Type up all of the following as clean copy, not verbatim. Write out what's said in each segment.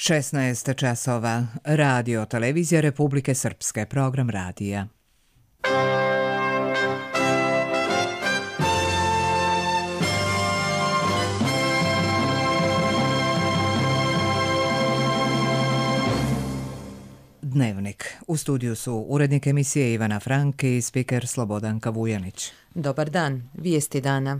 16 časova. Radio Televizija Republike Srpske. Program radija. Dnevnik. U studiju su urednik emisije Ivana Frank i spiker Slobodanka Vujanić. Dobar dan. Vijesti dana.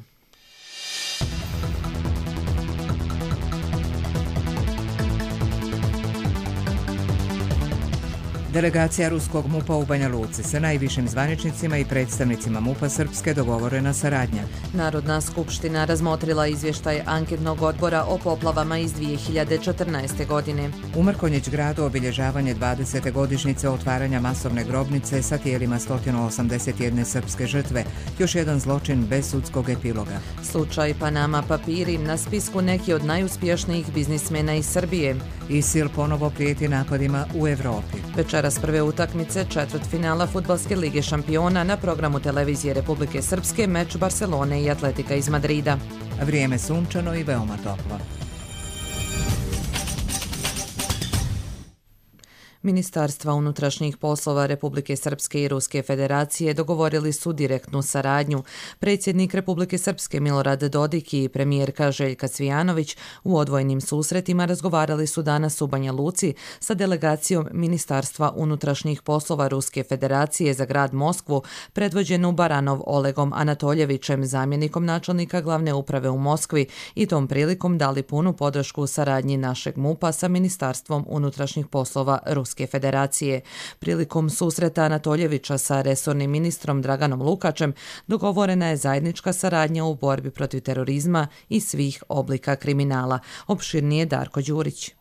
Delegacija ruskog MUP-a u Banja Luci sa najvišim zvaničnicima i predstavnicima MUP-a Srpske dogovorena saradnja. Narodna skupština razmotrila izvještaj anketnog odbora o poplavama iz 2014. godine. U Mrkonjić gradu obilježavanje 20. godišnjice otvaranja masovne grobnice sa tijelima 181 srpske žrtve. Još jedan zločin bez sudskog epiloga. Slučaj Panama papiri, na spisku neki od najuspješnijih biznismena iz Srbije. ISIL ponovo prijeti napadima u Evropi. Večeras prve utakmice četvrtfinala Fudbalske lige šampiona, na programu televizije Republike Srpske meč Barcelone i Atletika iz Madrida. Vrijeme sunčano i veoma toplo. Ministarstva unutrašnjih poslova Republike Srpske i Ruske federacije dogovorili su direktnu saradnju. Predsjednik Republike Srpske Milorad Dodik i premijerka Željka Cvijanović u odvojenim susretima razgovarali su danas u Banja Luci sa delegacijom Ministarstva unutrašnjih poslova Ruske federacije za grad Moskvu, predvođenu Baranov Olegom Anatoljevićem, zamjenikom načelnika glavne uprave u Moskvi, i tom prilikom dali punu podršku saradnji našeg MUP-a sa Ministarstvom unutrašnjih poslova Ruske federacije. Prilikom susreta Anatoljevića sa resornim ministrom Draganom Lukačem dogovorena je zajednička saradnja u borbi protiv terorizma i svih oblika kriminala. Opširnije Darko Đurić.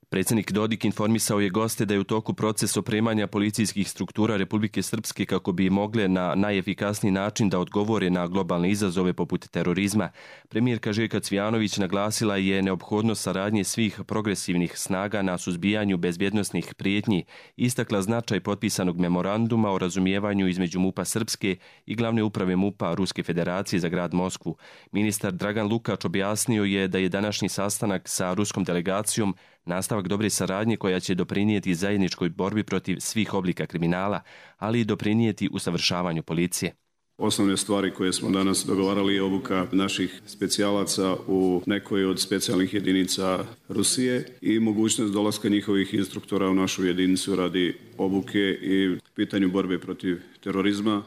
Predsjednik Dodik informisao je goste da je u toku proces opremanja policijskih struktura Republike Srpske kako bi mogle na najefikasniji način da odgovore na globalne izazove poput terorizma. Premijerka Željka Cvijanović naglasila je neophodnost saradnje svih progresivnih snaga na suzbijanju bezbjednosnih prijetnji, istakla značaj potpisanog memoranduma o razumijevanju između MUP-a Srpske i glavne uprave MUP-a Ruske federacije za grad Moskvu. Ministar Dragan Lukač objasnio je da je današnji sastanak sa ruskom delegacijom nastavak dobre saradnje koja će doprinijeti zajedničkoj borbi protiv svih oblika kriminala, ali i doprinijeti usavršavanju policije. Osnovne stvari koje smo danas dogovarali je obuka naših specijalaca u nekoj od specijalnih jedinica Rusije i mogućnost dolaska njihovih instruktora u našu jedinicu radi obuke i pitanju borbe protiv terorizma,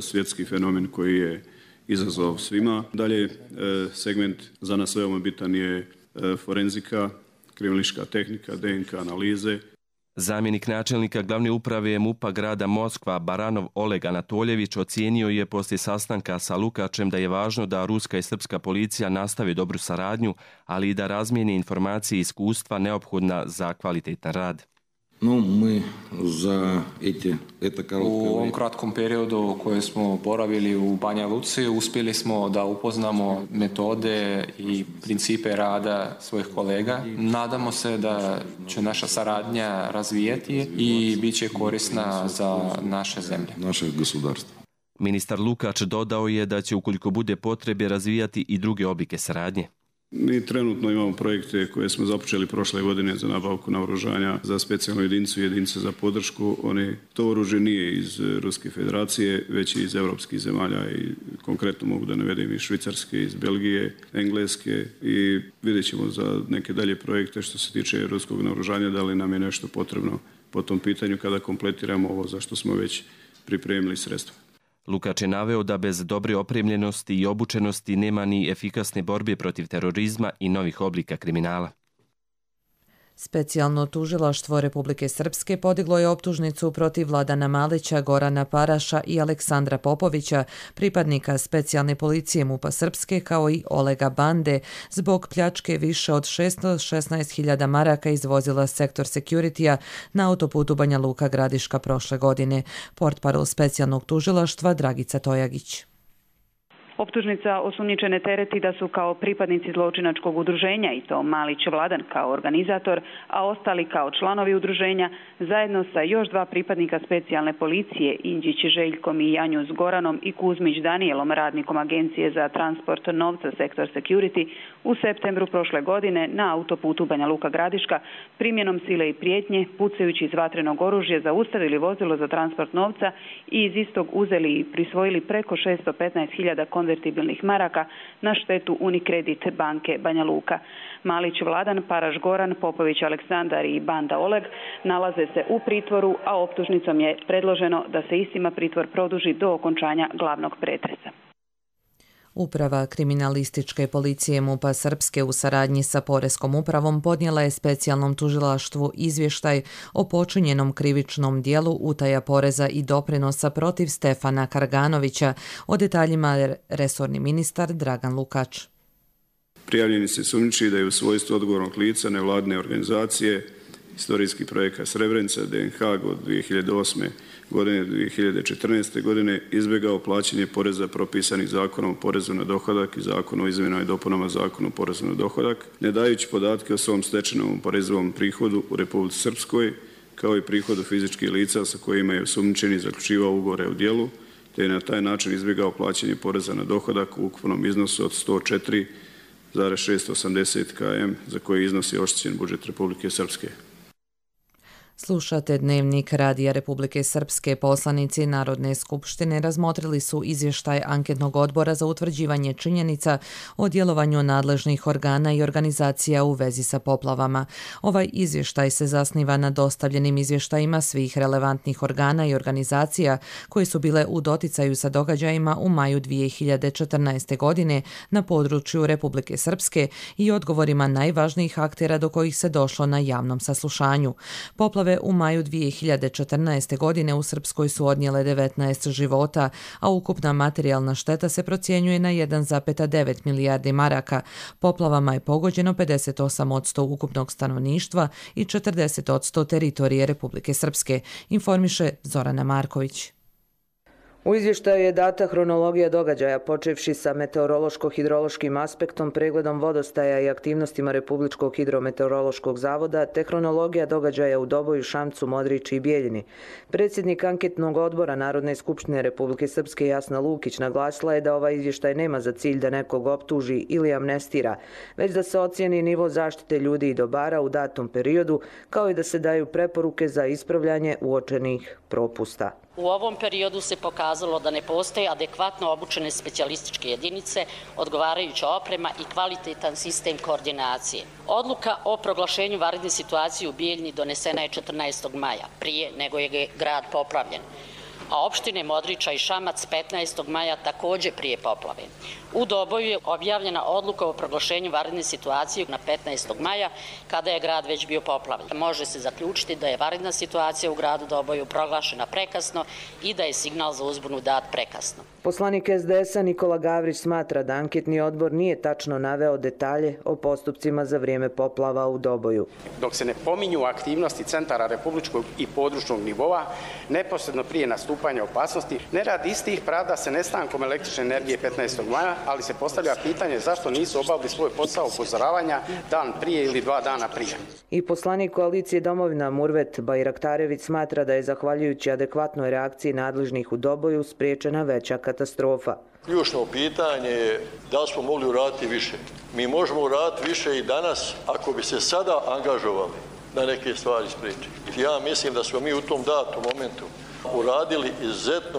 svjetski fenomen koji je izazov svima. Dalje, segment za nas veoma bitan je forenzika, kriminalistička tehnika, DNK analize. Zamjenik načelnika glavne uprave MUP-a grada Moskva Baranov Oleg Anatoljević ocijenio je poslije sastanka sa Lukačem da je važno da ruska i srpska policija nastave dobru saradnju, ali i da razmijene informacije i iskustva neophodna za kvalitetan rad. U ovom kratkom periodu koje smo boravili u Banja Luci uspjeli smo da upoznamo metode i principe rada svojih kolega. Nadamo se da će naša saradnja razvijati i bit će korisna za naše zemlje. Ministar Lukač dodao je da će ukoliko bude potrebe razvijati i druge oblike saradnje. Mi trenutno imamo projekte koje smo započeli prošle godine za nabavku naoružanja za specijalnu jedinicu i jedinice za podršku. To oružje nije iz Ruske federacije, već iz evropskih zemalja i konkretno mogu da navedem iz Švicarske, iz Belgije, Engleske i vidjet ćemo za neke dalje projekte što se tiče ruskog naoružanja da li nam je nešto potrebno po tom pitanju kada kompletiramo ovo za što smo već pripremili sredstva. Lukač je naveo da bez dobre opremljenosti i obučenosti nema ni efikasne borbe protiv terorizma i novih oblika kriminala. Specijalno tužilaštvo Republike Srpske podiglo je optužnicu protiv Vladana Malića, Gorana Paraša i Aleksandra Popovića, pripadnika specijalne policije MUP-a Srpske, kao i Olega Bande, zbog pljačke više od 616.000 maraka iz vozila Sektor Security-a na autoputu Banja Luka-Gradiška prošle godine. Portparol specijalnog tužilaštva Dragica Tojagić. Optužnica osumnjičene tereti da su kao pripadnici zločinačkog udruženja, i to Malić Vladan kao organizator, a ostali kao članovi udruženja, zajedno sa još 2 pripadnika specijalne policije, Indžić Željkom i Janju Goranom i Kuzmić Danijelom, radnikom Agencije za transport novca Sektor Security, u septembru prošle godine na autoputu Banja Luka Gradiška primjenom sile i prijetnje, pucajući iz vatrenog oružja, zaustavili vozilo za transport novca i iz istog uzeli i prisvojili preko 615.000 konvertibilnih maraka na štetu Unicredit banke Banja Luka. Malić Vladan, Paraš Goran, Popović Aleksandar i Banda Oleg nalaze se u pritvoru, a optužnicom je predloženo da se istima pritvor produži do okončanja glavnog pretresa. Uprava kriminalističke policije MUP-a Srpske u saradnji sa Poreskom upravom podnijela je specijalnom tužilaštvu izvještaj o počinjenom krivičnom dijelu utaja poreza i doprinosa protiv Stefana Karganovića. O detaljima resorni ministar Dragan Lukač. Prijavljeni se sumnjiči da je u svojstvu odgovornog lica nevladine organizacije Istorijski projekat Srebrenica DNH od 2008. godine do 2014. godine izbjegao plaćanje poreza propisanih Zakonom o porezu na dohodak i Zakonom o izmjenama i dopunama Zakona o porezu na dohodak, ne dajući podatke o svom stečenom oporezivom prihodu u Republici Srpskoj, kao i prihodu fizičkih lica sa kojima je osumnjičeni zaključivao ugovore o djelu, te je na taj način izbjegao plaćanje poreza na dohodak u ukupnom iznosu od 104,680 km za koji iznos je oštećen budžet Republike Srpske. Slušate Dnevnik Radija Republike Srpske. Poslanici Narodne skupštine razmotrili su izvještaj anketnog odbora za utvrđivanje činjenica o djelovanju nadležnih organa i organizacija u vezi sa poplavama. Ovaj izvještaj se zasniva na dostavljenim izvještajima svih relevantnih organa i organizacija koje su bile u doticaju sa događajima u maju 2014. godine na području Republike Srpske i odgovorima najvažnijih aktera do kojih se došlo na javnom saslušanju. Poplave u maju 2014. godine u Srpskoj su odnijele 19 života, a ukupna materijalna šteta se procjenjuje na 1,9 milijardi maraka. Poplavama je pogođeno 58% ukupnog stanovništva i 40% teritorije Republike Srpske, informiše Zorana Marković. U izvještaju je data hronologija događaja, počevši sa meteorološko-hidrološkim aspektom, pregledom vodostaja i aktivnostima Republičkog hidrometeorološkog zavoda, te hronologija događaja u Doboju, Šamcu, Modriči i Bijeljini. Predsjednik anketnog odbora Narodne skupštine Republike Srpske Jasna Lukić naglasila je da ovaj izvještaj nema za cilj da nekog optuži ili amnestira, već da se ocijeni nivo zaštite ljudi i dobara u datom periodu, kao i da se daju preporuke za ispravljanje uočenih propusta. U ovom periodu se pokazalo da ne postoje adekvatno obučene specijalističke jedinice, odgovarajuća oprema i kvalitetan sistem koordinacije. Odluka o proglašenju vanredne situacije u Bijeljini donesena je 14. maja, prije nego je grad poplavljen, a opštine Modriča i Šamac 15. maja također prije poplave. U Doboju je objavljena odluka o proglašenju vanredne situacije na 15. maja, kada je grad već bio poplavljen. Može se zaključiti da je vanredna situacija u gradu Doboju proglašena prekasno i da je signal za uzbunu dat prekasno. Poslanik SDS-a Nikola Gavrić smatra da anketni odbor nije tačno naveo detalje o postupcima za vrijeme poplava u Doboju. Dok se ne pominju aktivnosti centara republičkog i područnog nivoa, neposredno prije nastupanja opasnosti, ne radi istih pravda se nestankom električne energije 15. maja, ali se postavlja pitanje zašto nisu obavili svoj posao upozoravanja dan prije ili 2 dana prije. I poslanik koalicije Domovina Murvet Bajraktarević smatra da je zahvaljujući adekvatnoj reakciji nadležnih u Doboju spriječena veća katastrofa. Ključno pitanje je da smo mogli uraditi više. Mi možemo uraditi više i danas ako bi se sada angažovali da neke stvari spriječi. Ja mislim da smo mi u tom datom momentu uradili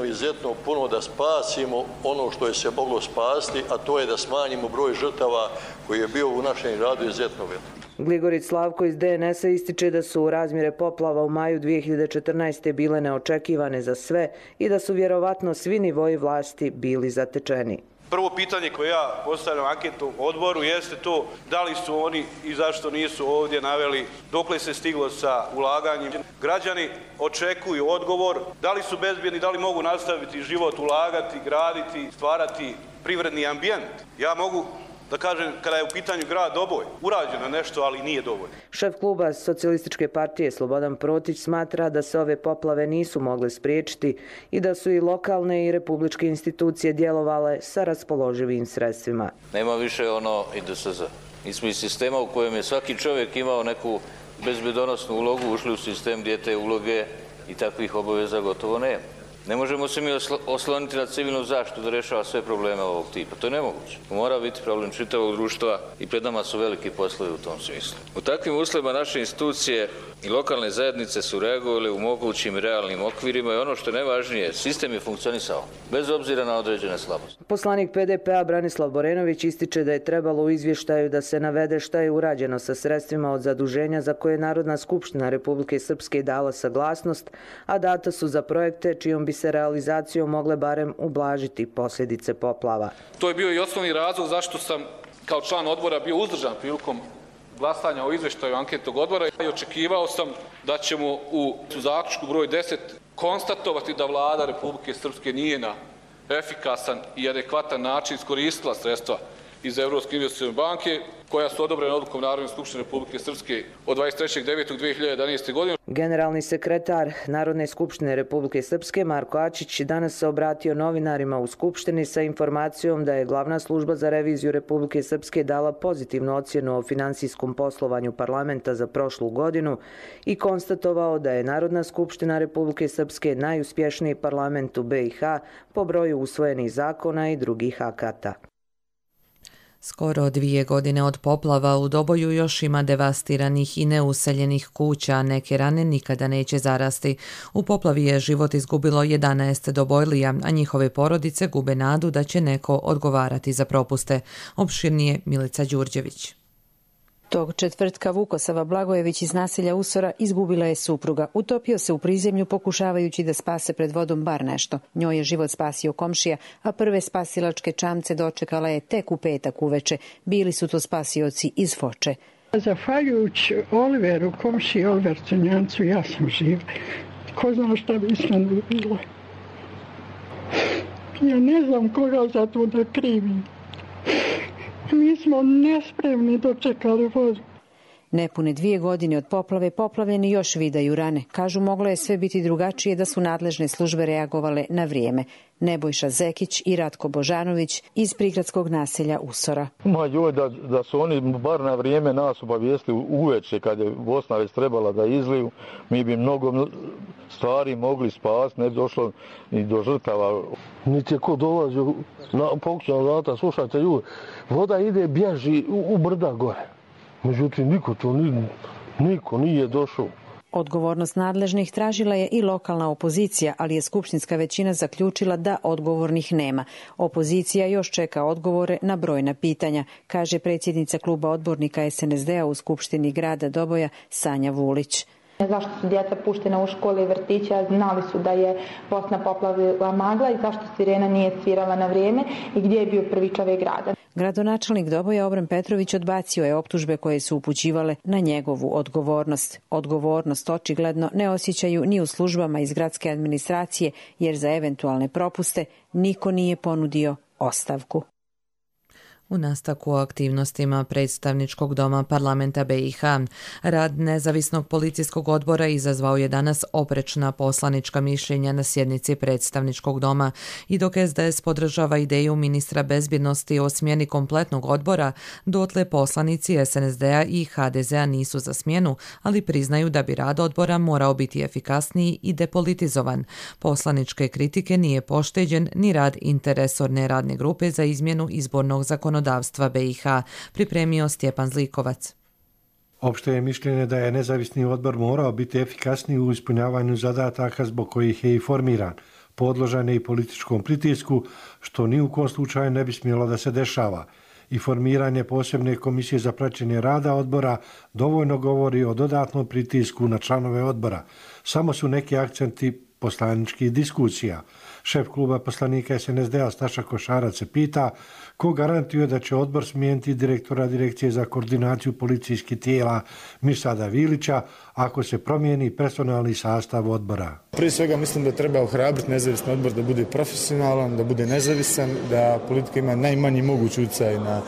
izuzetno puno da spasimo ono što je se moglo spasti, a to je da smanjimo broj žrtava koji je bio u našem radu izuzetno velik. Gligorić Slavko iz DNS-a ističe da su razmjere poplava u maju 2014. bile neočekivane za sve i da su vjerovatno svi nivoji vlasti bili zatečeni. Prvo pitanje koje ja postavljam anketnom odboru jeste to da li su oni i zašto nisu ovdje naveli dokle se stiglo sa ulaganjem. Građani očekuju odgovor da li su bezbjedni, da li mogu nastaviti život, ulagati, graditi, stvarati privredni ambijent. Ja mogu da kažem, kada je u pitanju grad Doboj, urađeno nešto, ali nije dovoljno. Šef kluba Socijalističke partije Slobodan Protić smatra da se ove poplave nisu mogle spriječiti i da su i lokalne i republičke institucije djelovale sa raspoloživim sredstvima. Nema više ono IDSZ. Mi smo iz sistema u kojem je svaki čovjek imao neku bezbedonosnu ulogu, ušli u sistem gdje te uloge i takvih obaveza gotovo nema. Ne možemo se mi osloniti na civilnu zaštitu da rješava sve probleme ovog tipa. To je nemoguće. Mora biti problem čitavog društva i pred nama su veliki poslovi u tom smislu. U takvim uslovima naše institucije i lokalne zajednice su reagovali u mogućim realnim okvirima i ono što je najvažnije, sistem je funkcionisao, bez obzira na određene slabosti. Poslanik PDP-a Branislav Borenović ističe da je trebalo u izvještaju da se navede šta je urađeno sa sredstvima od zaduženja za koje je Narodna skupština Republike Srpske dala saglasnost, a data su za projekte čijom bi se realizacijom mogle barem ublažiti posljedice poplava. To je bio i osnovni razlog zašto sam kao član odbora bio uzdržan prilikom glasanja o izvještaju anketnog odbora i očekivao sam da ćemo u zaključku broj 10 konstatovati da Vlada Republike Srpske nije na efikasan i adekvatan način iskoristila sredstva iz Evropske investicione banke koja su odobrena odlukom Narodne skupštine Republike Srpske od 23.9.2011. godine. Generalni sekretar Narodne skupštine Republike Srpske Marko Ačić danas se obratio novinarima u Skupštini sa informacijom da je Glavna služba za reviziju Republike Srpske dala pozitivnu ocjenu o finansijskom poslovanju parlamenta za prošlu godinu i konstatovao da je Narodna skupština Republike Srpske najuspješniji parlament u BiH po broju usvojenih zakona i drugih akata. Skoro 2 godine od poplava u Doboju još ima devastiranih i neuseljenih kuća, a neke rane nikada neće zarasti. U poplavi je život izgubilo 11 Dobojlija, a njihove porodice gube nadu da će neko odgovarati za propuste. Opširnije Milica Đurđević. Tog četvrtka Vukosava Blagojević iz naselja Usora izgubila je supruga. Utopio se u prizemlju pokušavajući da spase pred vodom bar nešto. Njoj je život spasio komšija, a prve spasilačke čamce dočekala je tek u petak uveče. Bili su to spasioci iz Foče. Zahvaljujući Oliveru, komšiji Oliver Crnjancu, ja sam živa. Ko zna šta bi sve bilo. Ja ne znam koga za to da krivim. Mi smo nespremni dočekali vodu. Nepune 2 godine od poplave poplavljeni još vidaju rane. Kažu moglo je sve biti drugačije da su nadležne službe reagovale na vrijeme. Nebojša Zekić i Ratko Božanović iz prigradskog naselja Usora. Da su oni bar na vrijeme nas obavijestili uveče kad je Bosna već trebala da izliju, mi bi mnogo stvari mogli spasti, ne bi došlo ni do žrtava. Niti je ko dolazio na pokućana vrata, slušajte ljudi, voda ide, bježi u brda gore. Međutim, niko nije došao. Odgovornost nadležnih tražila je i lokalna opozicija, ali je skupštinska većina zaključila da odgovornih nema. Opozicija još čeka odgovore na brojna pitanja, kaže predsjednica kluba odbornika SNSD-a u Skupštini grada Doboja Sanja Vulić. Zašto su djeca puštena u škole i vrtiće, znali su da je Bosna poplavila magla i zašto sirena nije svirala na vrijeme i gdje je bio prvi čovjek grada. Gradonačelnik Doboja Obran Petrović odbacio je optužbe koje su upućivale na njegovu odgovornost. Odgovornost očigledno ne osjećaju ni u službama iz gradske administracije jer za eventualne propuste niko nije ponudio ostavku. U nastavku aktivnostima predstavničkog doma parlamenta BiH, rad nezavisnog policijskog odbora izazvao je danas oprečna poslanička mišljenja na sjednici predstavničkog doma i dok SDS podržava ideju ministra bezbjednosti o smjeni kompletnog odbora, dotle poslanici SNSD-a i HDZ-a nisu za smjenu, ali priznaju da bi rad odbora morao biti efikasniji i depolitizovan. Poslaničke kritike nije pošteđen ni rad interresorne radne grupe za izmjenu izbornog zakonodavstva BiH, pripremio Stjepan Zlikovac. Opšte je mišljenje da je nezavisni odbor morao biti efikasniji u ispunjavanju zadataka zbog kojih je i formiran, podložan je i političkom pritisku, što ni u kom slučaju ne bi smjelo da se dešava. I formiranje posebne komisije za praćenje rada odbora dovoljno govori o dodatnom pritisku na članove odbora. Samo su neki akcenti poslaničkih diskusija. Šef kluba poslanika SNSD-a Staša Košarac se pita ko garantuje da će odbor smijeniti direktora Direkcije za koordinaciju policijskih tijela Mirsada Vilića ako se promijeni personalni sastav odbora. Prije svega mislim da treba ohrabriti nezavisni odbor da bude profesionalan, da bude nezavisan, da politika ima najmanji mogući utjecaj na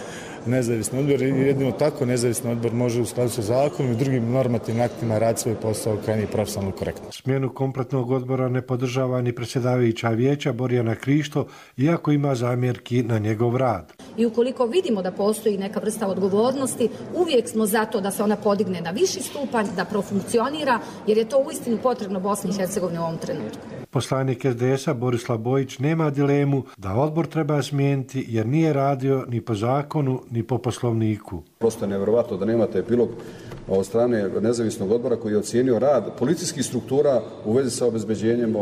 nezavisni odbor i jedino tako nezavisni odbor može u skladu sa zakonom i drugim normativnim aktima raditi svoj posao krajnje profesionalno korektno. Smjenu kompletnog odbora ne podržava ni predsjedavajuća vijeća Borjana Krišto, iako ima zamjerki na njegov rad. I ukoliko vidimo da postoji neka vrsta odgovornosti, uvijek smo za to da se ona podigne na viši stupanj, da profunkcionira, jer je to uistinu potrebno Bosni i Hercegovini u ovom trenutku. Poslanik SDS-a Borislav Bojić nema dilemu da odbor treba smijeniti jer nije radio ni po zakonu ni po poslovniku. Prosto je nevjerovatno da nemate epilog od strane nezavisnog odbora koji je ocijenio rad policijskih struktura u vezi sa obezbeđenjem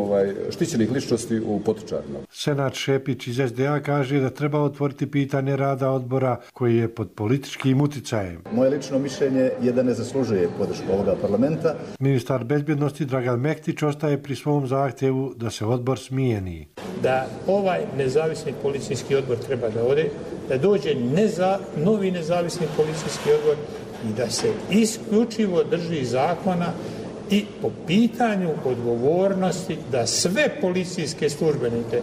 štićenih ličnosti u Potočarima. Senat Šepić iz SDA kaže da treba otvoriti pitanje rada odbora koji je pod političkim uticajem. Moje lično mišljenje je da ne zaslužuje podršku ovoga parlamenta. Ministar bezbjednosti Dragan Mektić ostaje pri svom zahtjevu da se odbor smijeni. Da ovaj nezavisni policijski odbor treba da ode, da dođe novi nezavisni policijski odbor i da se isključivo drži zakona i po pitanju odgovornosti da sve policijske službenike.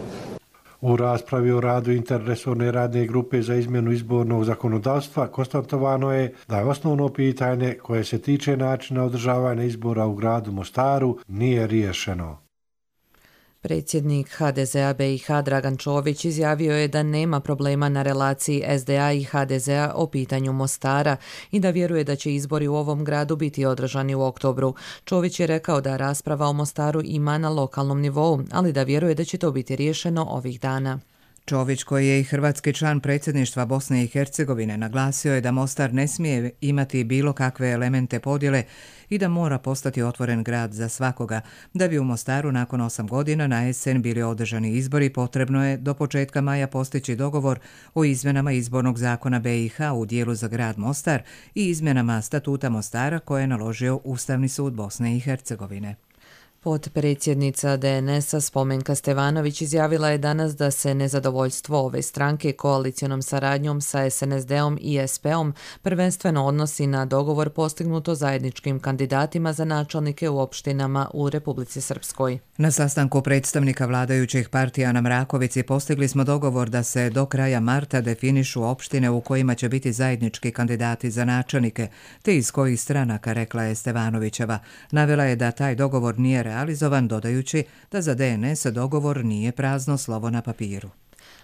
U raspravi o radu interresorne radne grupe za izmjenu izbornog zakonodavstva konstatovano je da je osnovno pitanje koje se tiče načina održavanja izbora u gradu Mostaru nije riješeno. Predsjednik HDZ-a BiH Dragan Čović izjavio je da nema problema na relaciji SDA i HDZ-a o pitanju Mostara i da vjeruje da će izbori u ovom gradu biti održani u oktobru. Čović je rekao da rasprava o Mostaru ima na lokalnom nivou, ali da vjeruje da će to biti riješeno ovih dana. Čović, koji je i hrvatski član predsjedništva Bosne i Hercegovine, naglasio je da Mostar ne smije imati bilo kakve elemente podjele i da mora postati otvoren grad za svakoga. Da bi u Mostaru nakon 8 godina na jesen bili održani izbori, potrebno je do početka maja postići dogovor o izmjenama izbornog zakona BiH u dijelu za grad Mostar i izmjenama statuta Mostara koje je naložio Ustavni sud Bosne i Hercegovine. Potpredsjednica DNS-a Spomenka Stevanović izjavila je danas da se nezadovoljstvo ove stranke koalicionom saradnjom sa SNSD-om i SP-om prvenstveno odnosi na dogovor postignuto zajedničkim kandidatima za načelnike u opštinama u Republici Srpskoj. Na sastanku predstavnika vladajućih partija na Mrakovici postigli smo dogovor da se do kraja marta definišu opštine u kojima će biti zajednički kandidati za načelnike, te iz kojih stranaka, rekla je Stevanovićeva. Navela je da taj dogovor nije realizovan, dodajući da za DNS dogovor nije prazno slovo na papiru.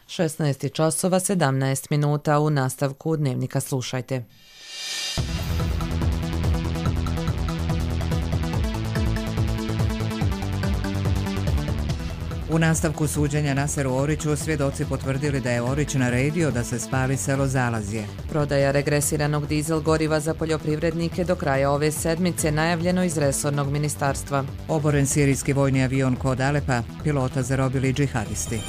16:17 u nastavku Dnevnika slušajte. U nastavku suđenja Naseru Oriću svjedoci potvrdili da je Orić naredio da se spali selo Zalazje. Prodaja regresiranog dizel goriva za poljoprivrednike do kraja ove sedmice najavljeno iz resornog ministarstva. Oboren sirijski vojni avion kod Alepa, pilota zarobili džihadisti.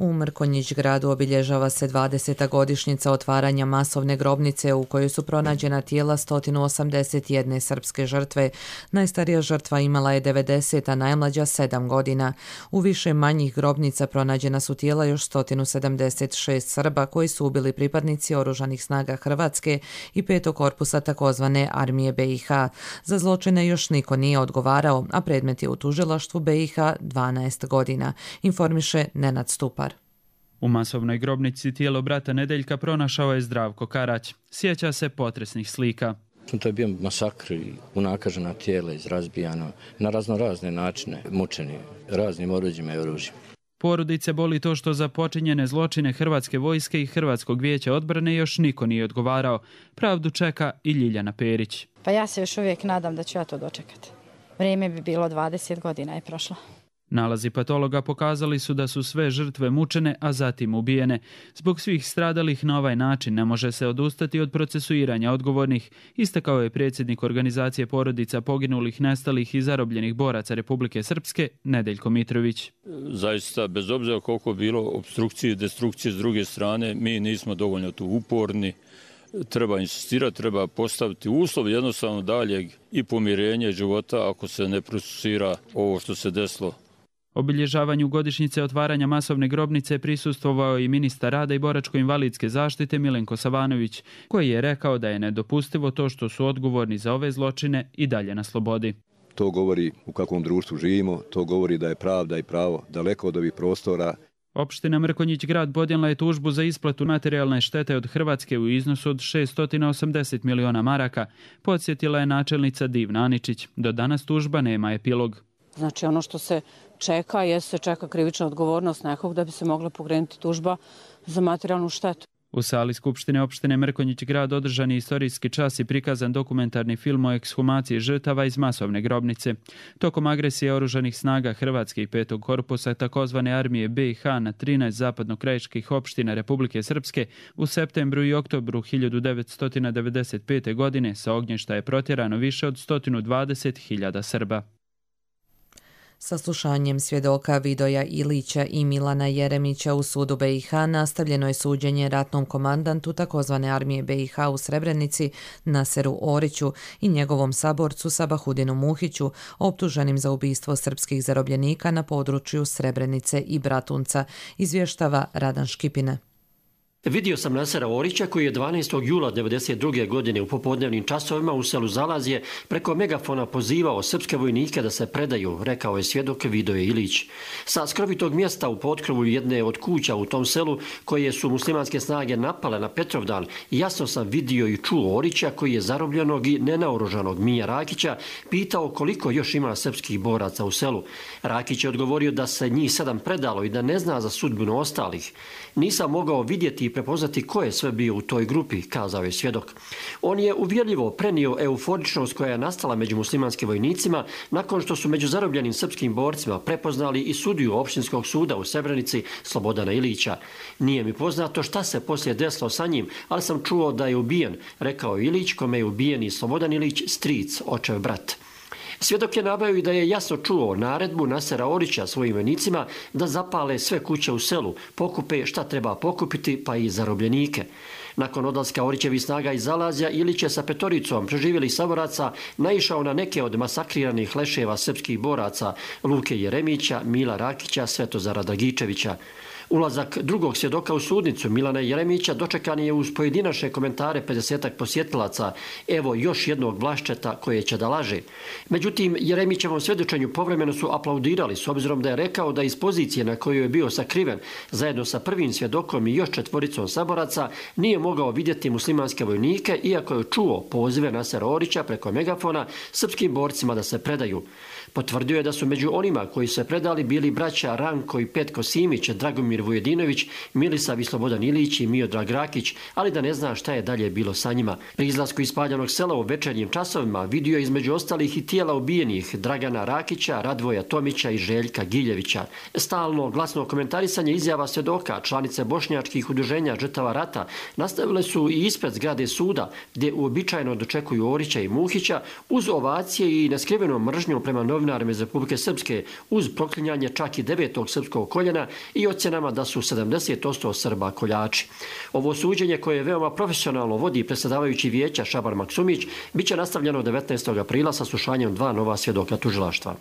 U Mrkonjić gradu obilježava se 20. godišnjica otvaranja masovne grobnice u kojoj su pronađena tijela 181 srpske žrtve. Najstarija žrtva imala je 90, a najmlađa 7 godina. U više manjih grobnica pronađena su tijela još 176 Srba koji su ubili pripadnici oružanih snaga Hrvatske i 5. korpusa takozvane armije BiH. Za zločine još niko nije odgovarao, a predmet je u tužilaštvu BiH 12 godina, informiše Nenad Stupar. U masovnoj grobnici tijelo brata Nedeljka pronašao je Zdravko Karać. Sjeća se potresnih slika. To je bio masakr i unakažena tijela izrazbijano na razne načine, mučeni raznim oruđima i oružjima. Porodice boli to što za počinjene zločine Hrvatske vojske i Hrvatskog vijeća odbrane još niko nije odgovarao. Pravdu čeka i Ljiljana Perić. Pa ja se još uvijek nadam da ću ja to dočekati. Vrijeme bi bilo 20 godina je prošlo. Nalazi patologa pokazali su da su sve žrtve mučene, a zatim ubijene. Zbog svih stradalih na ovaj način ne može se odustati od procesuiranja odgovornih, istakao je predsjednik organizacije porodica poginulih, nestalih i zarobljenih boraca Republike Srpske, Nedeljko Mitrović. Zaista, bez obzira koliko bilo opstrukcije i destrukcije s druge strane, mi nismo dovoljno tu uporni. Treba insistirati, treba postaviti uslov jednostavno daljeg i pomirenja života ako se ne procesuira ovo što se desilo. Obilježavanju godišnjice otvaranja masovne grobnice prisustvovao i ministar rada i boračko-invalidske zaštite Milenko Savanović, koji je rekao da je nedopustivo to što su odgovorni za ove zločine i dalje na slobodi. To govori u kakvom društvu živimo, to govori da je pravda i pravo daleko od ovih prostora Opština Mrkonjić Grad podnijela je tužbu za isplatu materijalne štete od Hrvatske u iznosu od 680 miliona maraka, podsjetila je načelnica Divna Aničić. Do danas tužba nema epilog. Znači ono što se čeka, se čeka krivična odgovornost nekog da bi se mogla pokrenuti tužba za materijalnu štetu. U sali Skupštine opštine Mrkonjić Grad održan je istorijski čas i prikazan dokumentarni film o ekshumaciji žrtava iz masovne grobnice. Tokom agresije oružanih snaga Hrvatske i 5. korpusa takozvane armije BiH na 13 zapadnokrajiških opština Republike Srpske u septembru i oktobru 1995. godine sa ognjišta je protjerano više od 120.000 Srba. Saslušanjem svjedoka Vidoja Ilića i Milana Jeremića u sudu BiH nastavljeno je suđenje ratnom komandantu takozvane armije BiH u Srebrenici Naseru Oriću i njegovom saborcu Sabahudinu Muhiću, optuženim za ubistvo srpskih zarobljenika na području Srebrenice i Bratunca, izvještava Radan Škipina. Vidio sam Nasera Orića koji je 12. jula 1992. godine u popodnevnim časovima u selu Zalazje preko megafona pozivao srpske vojnike da se predaju, rekao je svjedok Vidoje Ilić. Sa skrovitog mjesta u potkrovu jedne od kuća u tom selu koje su muslimanske snage napale na Petrovdan, jasno sam vidio i čuo Orića koji je zarobljenog i nenaoružanog Mija Rakića pitao koliko još ima srpskih boraca u selu. Rakić je odgovorio da se njih 7 predalo i da ne zna za sudbinu ostalih. Nisam mogao vidjeti i prepoznati ko je sve bio u toj grupi, kazao je svjedok. On je uvjerljivo prenio euforičnost koja je nastala među muslimanskim vojnicima nakon što su među zarobljenim srpskim borcima prepoznali i sudiju opštinskog suda u Srebrenici Slobodana Ilića. Nije mi poznato šta se poslije desilo sa njim, ali sam čuo da je ubijen, rekao Ilić, kome je ubijen i Slobodan Ilić, stric, očev brat. Svjedok je naveo i da je jasno čuo naredbu Nasera Orića svojim vojnicima da zapale sve kuće u selu, pokupe šta treba pokupiti, pa i zarobljenike. Nakon odlaska Orićevih snaga iz Zalazja, Ilić je sa 5 preživjelih saboraca naišao na neke od masakriranih leševa srpskih boraca Luke Jeremića, Mila Rakića, Svetozara Dragičevića. Ulazak drugog svjedoka u sudnicu Milana Jeremića dočekan je uz pojedinačne komentare 50-ak posjetilaca, evo još jednog Vlaščeta koje će da laže. Međutim, Jeremićevom svjedočenju povremeno su aplaudirali s obzirom da je rekao da iz pozicije na kojoj je bio sakriven zajedno sa prvim svjedokom i još 4 saboraca nije mogao vidjeti muslimanske vojnike iako je čuo pozive Nasera Orića preko megafona srpskim borcima da se predaju. Potvrdio je da su među onima koji su se predali bili braća Ranko i Petko Simić, Dragomir Vujedinović, Milisav i Slobodan Ilić i Miodrag Rakić, ali da ne zna šta je dalje bilo sa njima. Pri izlasku iz spaljanog sela u večernjim časovima vidio je između ostalih i tijela ubijenih Dragana Rakića, Radvoja Tomića i Željka Giljevića. Stalno glasno komentarisanje izjava svjedoka, članice bošnjačkih udruženja žrtava rata, nastavile su i ispred zgrade suda, gdje uobičajeno dočekuju Orića i Muhića, uz ovacije i neskrivenom mržnjom prema novinarima iz Republike Srpske, uz proklinjanje čak i 9. srpskog koljena i ocjenama da su 70% Srba koljači. Ovo suđenje koje veoma profesionalno vodi predsjedavajući vijeća Šaban Maksumić bit će nastavljeno 19. aprila sa slušanjem 2 nova svjedoka tužilaštva.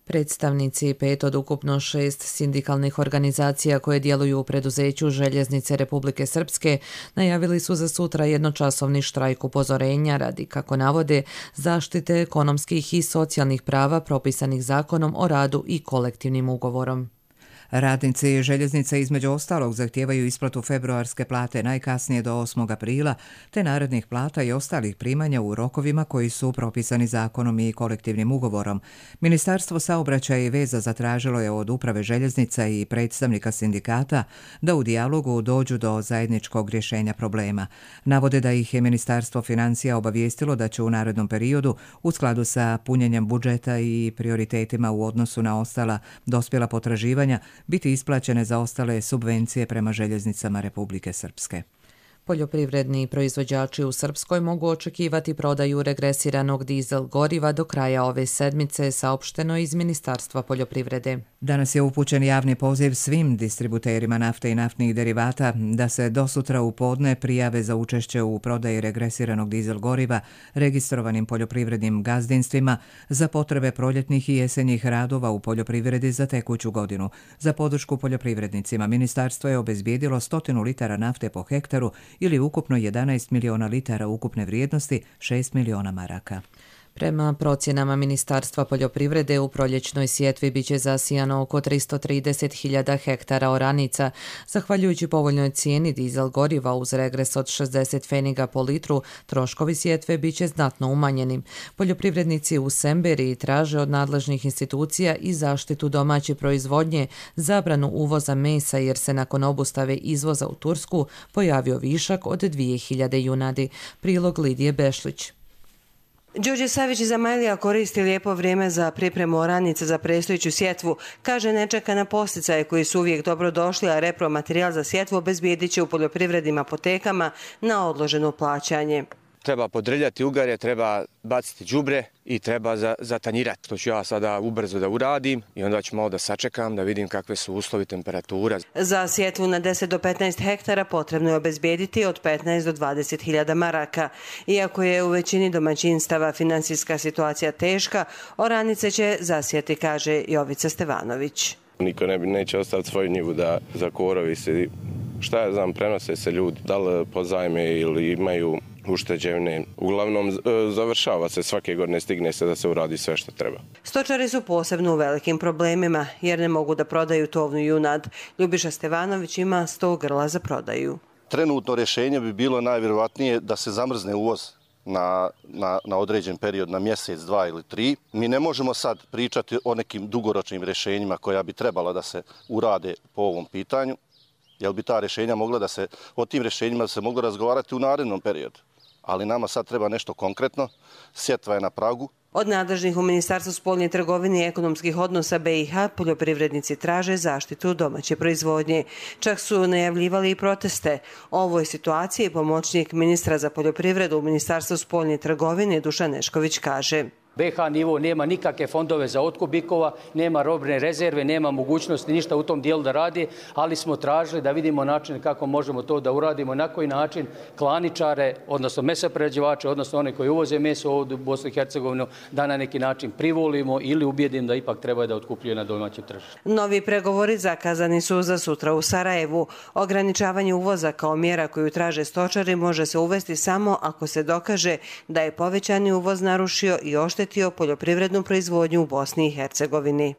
Predstavnici 5 od ukupno 6 sindikalnih organizacija koje djeluju u preduzeću Željeznice Republike Srpske najavili su za sutra jednočasovni štrajk upozorenja radi, kako navode, zaštite ekonomskih i socijalnih prava propisanih Zakonom o radu i kolektivnim ugovorom. Radnici željeznice između ostalog zahtijevaju isplatu februarske plate najkasnije do 8. aprila, te narednih plata i ostalih primanja u rokovima koji su propisani zakonom i kolektivnim ugovorom. Ministarstvo saobraćaja i veza zatražilo je od uprave željeznica i predstavnika sindikata da u dijalogu dođu do zajedničkog rješenja problema. Navode da ih je Ministarstvo financija obavijestilo da će u narednom periodu, u skladu sa punjenjem budžeta i prioritetima u odnosu na ostala dospjela potraživanja, biti isplaćene za ostale subvencije prema željeznicama Republike Srpske. Poljoprivredni proizvođači u Srpskoj mogu očekivati prodaju regresiranog dizel goriva do kraja ove sedmice, saopšteno iz Ministarstva poljoprivrede. Danas je upućen javni poziv svim distributerima nafte i naftnih derivata da se do sutra u podne prijave za učešće u prodaji regresiranog dizel goriva registrovanim poljoprivrednim gazdinstvima za potrebe proljetnih i jesenjih radova u poljoprivredi za tekuću godinu. Za podršku poljoprivrednicima ministarstvo je obezbijedilo 100 litara nafte po hektaru ili ukupno 11 miliona litara ukupne vrijednosti, 6 miliona maraka. Prema procjenama Ministarstva poljoprivrede u proljećnoj sjetvi biće zasijano oko 330.000 hektara oranica. Zahvaljujući povoljnoj cijeni dizel goriva uz regres od 60 pfeniga po litru, troškovi sjetve biće znatno umanjeni. Poljoprivrednici u Semberiji traže od nadležnih institucija i zaštitu domaće proizvodnje, zabranu uvoza mesa jer se nakon obustave izvoza u Tursku pojavio višak od 2000 junadi. Prilog Lidije Bešlić. Đorđe Savić iz Amajlija koristi lijepo vrijeme za pripremu oranice za predstojeću sjetvu. Kaže, ne čeka na posticaje koji su uvijek dobro došli, a repromaterijal za sjetvu obezbijedit će u poljoprivrednim apotekama na odloženo plaćanje. Treba podrljati ugarje, treba baciti đubre i treba zatanjirati. To ću ja sada ubrzo da uradim i onda ću malo da sačekam da vidim kakve su uslovi, temperatura. Za sjetvu na 10 do 15 hektara potrebno je obezbijediti od 15 do 20.000 maraka. Iako je u većini domaćinstava finansijska situacija teška, oranice će zasijati, kaže Jovica Stevanović. Niko neće ostaviti svoju njivu da za korovi se, šta ja znam, prenose se ljudi, da li pozajme ili imaju ušteđevne. Uglavnom završava se svake godine, stigne se da se uradi sve što treba. Stočari su posebno u velikim problemima jer ne mogu da prodaju tovnu junad. Ljubiša Stevanović ima 100 grla za prodaju. Trenutno rješenje bi bilo najvjerovatnije da se zamrzne uvoz na određen period, na mjesec, 2 ili 3. Mi ne možemo sad pričati o nekim dugoročnim rješenjima koja bi trebala da se urade po ovom pitanju, jer bi ta rješenja mogla da se, o tim rješenjima se moglo razgovarati u narednom periodu. Ali nama sad treba nešto konkretno, sjetva je na pragu. Od nadležnih u Ministarstvu spoljne trgovine i ekonomskih odnosa BiH poljoprivrednici traže zaštitu domaće proizvodnje. Čak su najavljivali i proteste. O ovoj situaciji pomoćnik ministra za poljoprivredu u Ministarstvu spoljne trgovine Dušan Nešković kaže: BiH nivo nema nikakve fondove za otkup bikova, nema robne rezerve, nema mogućnosti ništa u tom dijelu da radi, ali smo tražili da vidimo način kako možemo to da uradimo, na koji način klaničare, odnosno mesoprerađivače, odnosno one koji uvoze meso ovdje u Bosnu i Hercegovinu, da na neki način privolimo ili ubijedim da ipak treba da otkupljuju na domaćem tržištu. Novi pregovori zakazani su za sutra u Sarajevu. Ograničavanje uvoza kao mjera koju traže stočari može se uvesti samo ako se dokaže da je povećani uvoz narušio i oštetio poljoprivrednu proizvodnju u Bosni i Hercegovini.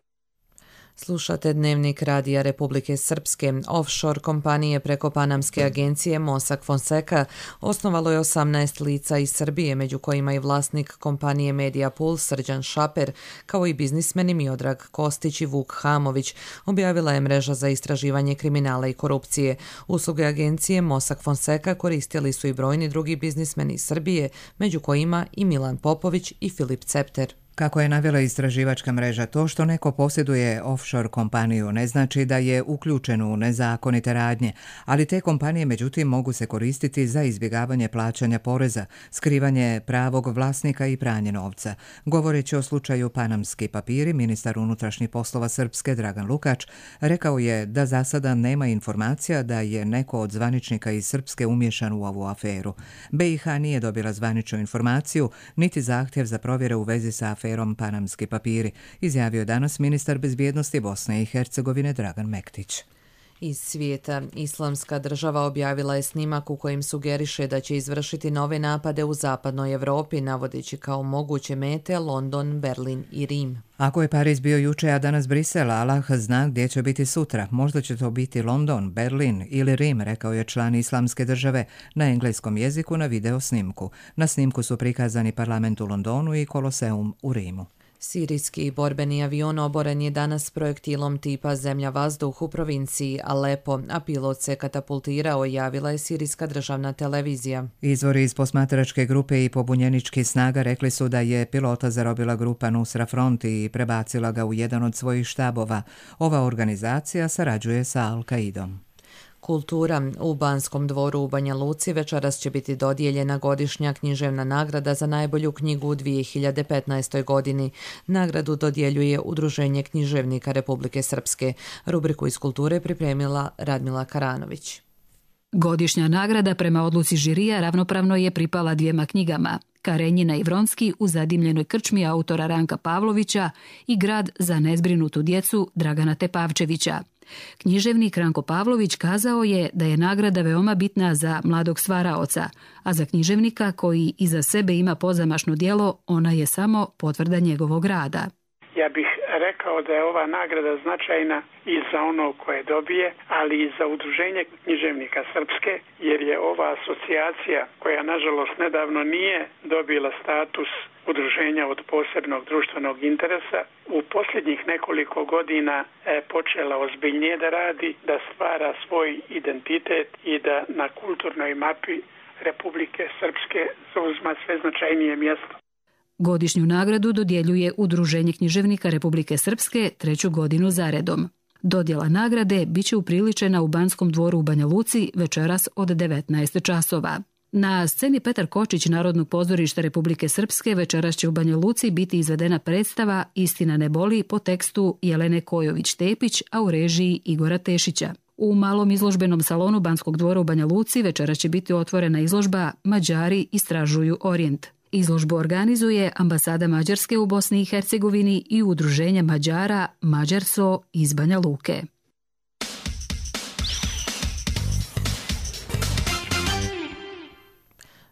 Slušate Dnevnik Radija Republike Srpske. Offshore kompanije preko panamske agencije Mossack Fonseca osnovalo je 18 lica iz Srbije, među kojima i vlasnik kompanije Mediapool Srđan Šaper, kao i biznismeni Miodrag Kostić i Vuk Hamović, objavila je mreža za istraživanje kriminala i korupcije. Usluge agencije Mossack Fonseca koristili su i brojni drugi biznismeni iz Srbije, među kojima i Milan Popović i Filip Cepter. Kako je navela istraživačka mreža, to što neko posjeduje offshore kompaniju ne znači da je uključen u nezakonite radnje, ali te kompanije međutim mogu se koristiti za izbjegavanje plaćanja poreza, skrivanje pravog vlasnika i pranje novca. Govoreći o slučaju Panamski papiri, ministar unutrašnjih poslova Srpske Dragan Lukač rekao je da za sada nema informacija da je neko od zvaničnika iz Srpske umješan u ovu aferu. BiH nije dobila zvaničnu informaciju niti zahtjev za provjere u vezi sa aferom Panamski papiri, izjavio danas ministar bezbjednosti Bosne i Hercegovine Dragan Mektić. Iz svijeta, Islamska država objavila je snimak u kojem sugeriše da će izvršiti nove napade u zapadnoj Evropi, navodeći kao moguće mete London, Berlin i Rim. Ako je Pariz bio juče, a danas Brisel, Allah zna gdje će biti sutra. Možda će to biti London, Berlin ili Rim, rekao je član Islamske države na engleskom jeziku na video snimku. Na snimku su prikazani parlament u Londonu i Koloseum u Rimu. Sirijski borbeni avion oboren je danas projektilom tipa zemlja-vazduh u provinciji Alepo, a pilot se katapultirao, javila je sirijska državna televizija. Izvori iz posmatračke grupe i pobunjeničkih snaga rekli su da je pilota zarobila grupa Nusra Front i prebacila ga u jedan od svojih štabova. Ova organizacija sarađuje sa Al-Qaidom. Kultura. U Banskom dvoru u Banja Luci večeras će biti dodijeljena godišnja književna nagrada za najbolju knjigu u 2015. godini. Nagradu dodjeljuje Udruženje književnika Republike Srpske. Rubriku iz kulture pripremila Radmila Karanović. Godišnja nagrada prema odluci žirija ravnopravno je pripala dvijema knjigama: Karenjina i Vronski u zadimljenoj krčmi autora Ranka Pavlovića i Grad za nezbrinutu djecu Dragana Tepavčevića. Književnik Ranko Pavlović kazao je da je nagrada veoma bitna za mladog stvaraoca, a za književnika koji iza sebe ima pozamašno djelo, ona je samo potvrda njegovog rada. Ja bih rekao da je ova nagrada značajna i za ono koje dobije, ali i za Udruženje književnika Srpske, jer je ova asocijacija, koja nažalost nedavno nije dobila status udruženja od posebnog društvenog interesa, u posljednjih nekoliko godina počela ozbiljnije da radi, da stvara svoj identitet i da na kulturnoj mapi Republike Srpske zauzima sve značajnije mjesto. Godišnju nagradu dodjeljuje Udruženje književnika Republike Srpske 3. godinu zaredom. Dodjela nagrade biće upriličena u Banskom dvoru u Banja Luci večeras od 19 časova. Na sceni Petar Kočić Narodnog pozorišta Republike Srpske večeras će u Banja Luci biti izvedena predstava Istina ne boli po tekstu Jelene Kojović-Tepić, a u režiji Igora Tešića. U malom izložbenom salonu Banskog dvora u Banja Luci večeras će biti otvorena izložba Mađari istražuju Orijent. Izložbu organizuje Ambasada Mađarske u Bosni i Hercegovini i Udruženje Mađara Mađarso iz Banja Luke.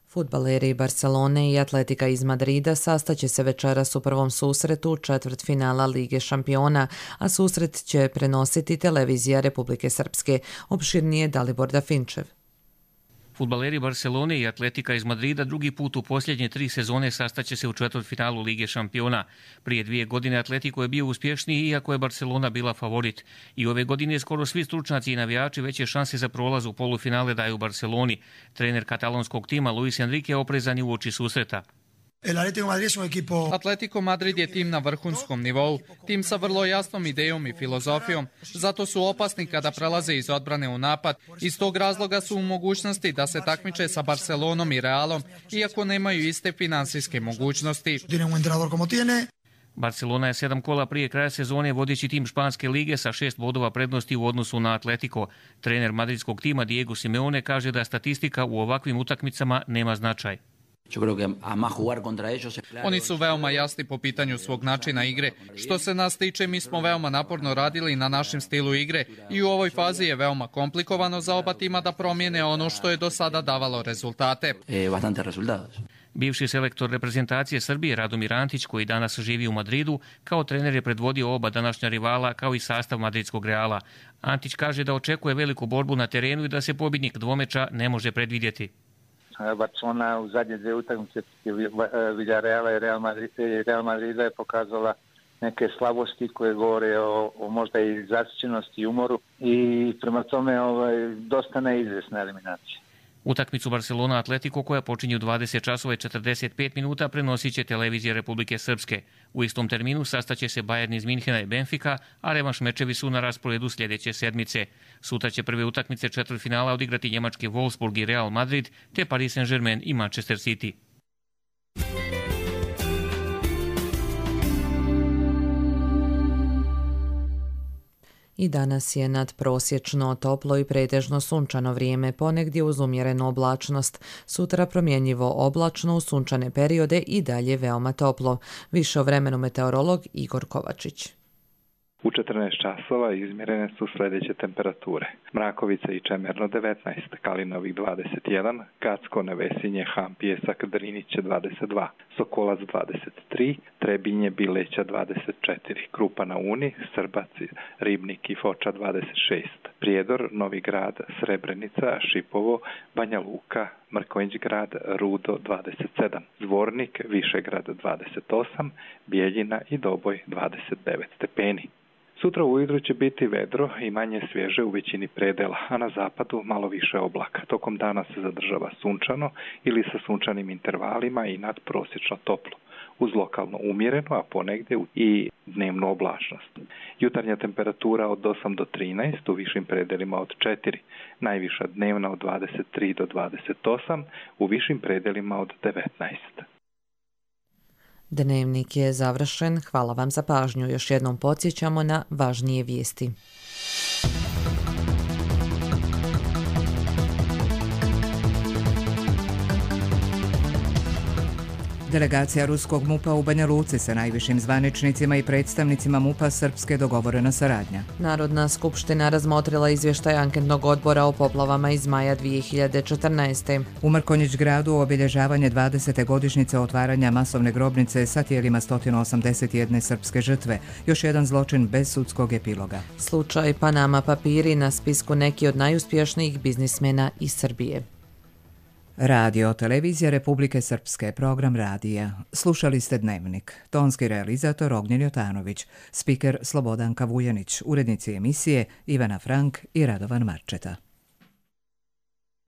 Fudbaleri Barcelone i Atletika iz Madrida sastaće se večeras u prvom susretu četvrtfinala Lige šampiona, a susret će prenositi televizija Republike Srpske. Opširnije Dalibor Dafinčev. Fudbaleri Barcelone i Atletika iz Madrida drugi put u posljednje 3 sezone sastaće se u četvrtfinalu Lige šampiona. Prije 2 godine Atletico je bio uspješniji, iako je Barcelona bila favorit. I ove godine skoro svi stručnjaci i navijači veće šanse za prolaz u polufinale daju Barceloni. Trener katalonskog tima Luis Enrique oprezan je uoči susreta. Atletico Madrid je tim na vrhunskom nivou, tim sa vrlo jasnom idejom i filozofijom, zato su opasni kada prelaze iz odbrane u napad. Iz tog razloga su u mogućnosti da se takmiče sa Barcelonom i Realom, iako nemaju iste finansijske mogućnosti. Barcelona je 7 kola prije kraja sezone vodeći tim Španske lige sa 6 bodova prednosti u odnosu na Atletico. Trener madridskog tima Diego Simeone kaže da statistika u ovakvim utakmicama nema značaj. Oni su veoma jasni po pitanju svog načina igre. Što se nas tiče, mi smo veoma naporno radili na našem stilu igre i u ovoj fazi je veoma komplikovano za oba tima da promijene ono što je do sada davalo rezultate. Bivši selektor reprezentacije Srbije Radomir Antić, koji danas živi u Madridu, kao trener je predvodio oba današnja rivala kao i sastav madridskog Reala. Antić kaže da očekuje veliku borbu na terenu i da se pobjednik dvomeča ne može predvidjeti. Barcelona u zadnje 2 utakmice Villarreala i Real Madrida je pokazala neke slabosti koje govore o možda i zasićenosti i umoru i prema tome dosta neizvjesna eliminacija. Utakmicu Barcelona Atletico, koja počinje u 20 časova i 45 minuta, prenosit će televizija Republike Srpske. U istom terminu sastaće se Bayern iz Minhena i Benfica, a revanš mečevi su na rasporedu sljedeće sedmice. Sutra će prve utakmice četvrtfinala odigrati njemački Wolfsburg i Real Madrid, te Paris Saint-Germain i Manchester City. I danas je nadprosječno toplo i pretežno sunčano vrijeme, ponegdje uz umjerenu oblačnost. Sutra promjenjivo oblačno u sunčane periode i dalje veoma toplo. Više o vremenu meteorolog Igor Kovačić. U 14 časova izmjerene su sljedeće temperature. Mrakovica i Čemerno 19, Kalinovik 21, Gacko, Nevesinje, Han, Pjesak, Driniće 22, Sokolac 23, Trebinje, Bileća 24, Krupa na Uni, Srbac, Ribnik i Foča 26, Prijedor, Novi Grad, Srebrenica, Šipovo, Banja Luka, Mrkonjić grad, Rudo 27, Zvornik, Višegrad 28, Bijeljina i Doboj 29 stepeni. Sutra ujutro će biti vedro i manje svježe u većini predela, a na zapadu malo više oblaka. Tokom dana se zadržava sunčano ili sa sunčanim intervalima i nadprosječno toplo, uz lokalno umjereno, a ponegdje i dnevnu oblačnost. Jutarnja temperatura od 8 do 13, u višim predelima od 4, najviša dnevna od 23 do 28, u višim predelima od 19. Dnevnik je završen. Hvala vam za pažnju. Još jednom podsjećamo na važnije vijesti. Delegacija ruskog MUP-a u Banja Luci sa najvišim zvaničnicima i predstavnicima MUP-a Srpske dogovorena saradnja. Narodna skupština razmotrila izvještaj anketnog odbora o poplavama iz maja 2014. U Mrkonjić gradu obilježavanje 20. godišnjice otvaranja masovne grobnice sa tijelima 181 srpske žrtve. Još jedan zločin bez sudskog epiloga. Slučaj Panama papiri na spisku neki od najuspješnijih biznismena iz Srbije. Radio televizija Republike Srpske, program radija. Slušali ste Dnevnik. Tonski realizator Ognjen Jotanović, spiker Slobodanka Vujanić, urednici emisije Ivana Frank i Radovan Marčeta.